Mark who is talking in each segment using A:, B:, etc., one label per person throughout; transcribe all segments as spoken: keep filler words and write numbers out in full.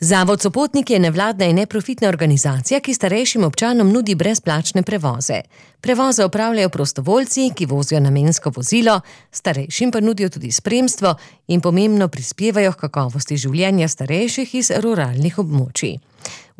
A: Zavod Sopotnik je nevladna in neprofitna organizacija, ki starejšim občanom nudi brezplačne prevoze. Prevoze opravljajo prostovoljci, ki vozijo namensko vozilo, starejšim pa nudijo tudi spremstvo in pomembno prispevajo k kakovosti življenja starejših iz ruralnih območij.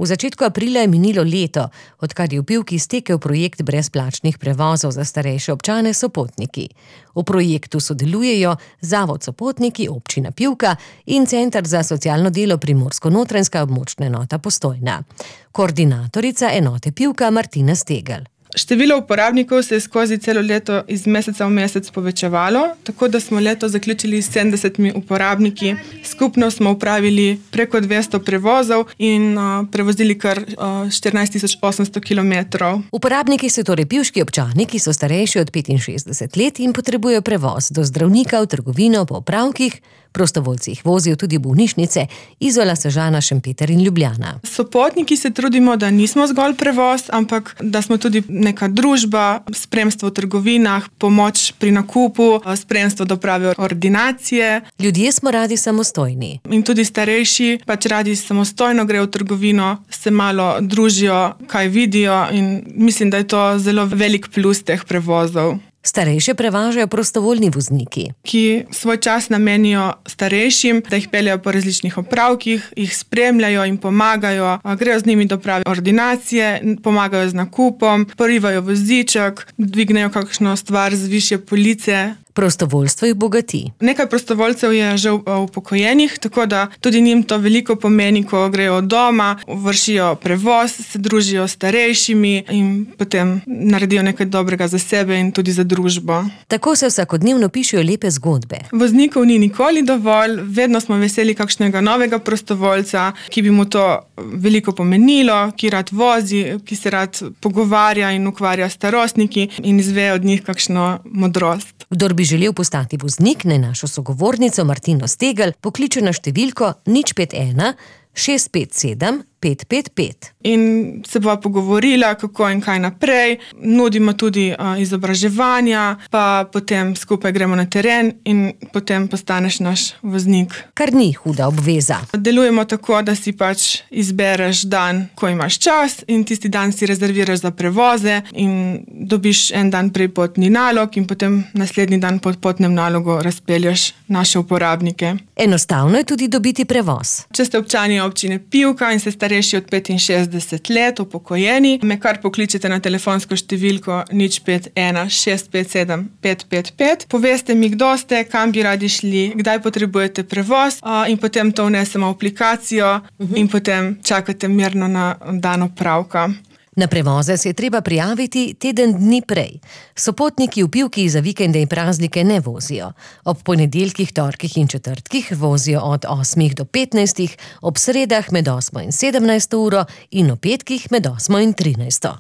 A: V začetku aprila je minilo leto, odkar je v Pivki stekel projekt brezplačnih prevozov za starejše občane Sopotniki. V projektu sodelujejo Zavod Sopotniki, Občina Pivka in Center za socialno delo Primorsko-Notranjska območna enota Postojna. Koordinatorica enote Pivka Martina Stegel.
B: Število uporabnikov se je skozi celo leto iz meseca v mesec povečevalo, tako da smo leto zaključili s sedemdesetimi uporabniki. Skupno smo upravili preko dvesto prevozov in uh, prevozili kar uh, štirinajst tisoč osemsto kilometrov.
A: Uporabniki so torej pivški občani, ki so starejši od petinšestdeset let in potrebujejo prevoz do zdravnika, v trgovino, po opravkih. Prostovoljci jih vozijo tudi v bolnišnice Izola, Sežana, Šempeter in Ljubljana.
B: Sopotniki se trudimo, da nismo zgolj prevoz, ampak da smo tudi neka družba, spremstvo v trgovinah, pomoč pri nakupu, spremstvo do prave ordinacije.
A: Ljudje smo radi samostojni.
B: In tudi starejši pač radi samostojno grejo v trgovino, se malo družijo, kaj vidijo in mislim, da je to zelo velik plus teh prevozov.
A: Starejše prevažajo prostovoljni vozniki,
B: ki svoj čas namenijo starejšim, da jih peljejo po različnih opravkih, jih spremljajo in pomagajo, grejo z njimi do prave ordinacije, pomagajo z nakupom, porivajo voziček, dvignejo kakšno stvar z višje police.
A: Prostovoljstvo jih bogati.
B: Nekaj prostovoljcev je že upokojenih, tako da tudi njim to veliko pomeni, ko grejo od doma, vršijo prevoz, se družijo s starejšimi in potem naredijo nekaj dobrega za sebe in tudi za družbo.
A: Tako se vsakodnevno pišejo lepe zgodbe.
B: Voznikov ni nikoli dovolj, vedno smo veseli kakšnega novega prostovoljca, ki bi mu to veliko pomenilo, ki rad vozi, ki se rad pogovarja in ukvarja s starostniki in izve od njih kakšno modrost.
A: Kdor bi želel postati voznik, naj našo sogovornico Martino Stegel pokliče na številko nič pet ena šest pet sedem pet pet pet.
B: In se bova pogovorila, kako in kaj naprej. Nudimo tudi uh, izobraževanja, pa potem skupaj gremo na teren in potem postaneš naš voznik.
A: Kar ni huda obveza.
B: Delujemo tako, da si pač izbereš dan, ko imaš čas in tisti dan si rezerviraš za prevoze in dobiš en dan prej potni nalog in potem naslednji dan pod potnem nalogu razpelješ naše uporabnike.
A: Enostavno je tudi dobiti prevoz.
B: Če ste občani občine Pivka in se starejši od petinšestdeset let, upokojeni, me kar pokličete na telefonsko številko nič pet ena šest pet sedem pet pet pet. Poveste mi, kdo ste, kam bi radi šli, kdaj potrebujete prevoz in potem to vnesemo v aplikacijo in potem čakate mirno na dan opravka.
A: Na prevoze se je treba prijaviti teden dni prej. Sopotniki v Pivki za vikende in praznike ne vozijo. Ob ponedeljkih, torkih in četrtkih vozijo od osmih do petnajstih, ob sredah med osmo in sedemnajsto uro in ob petkih med osmo in trinajsto.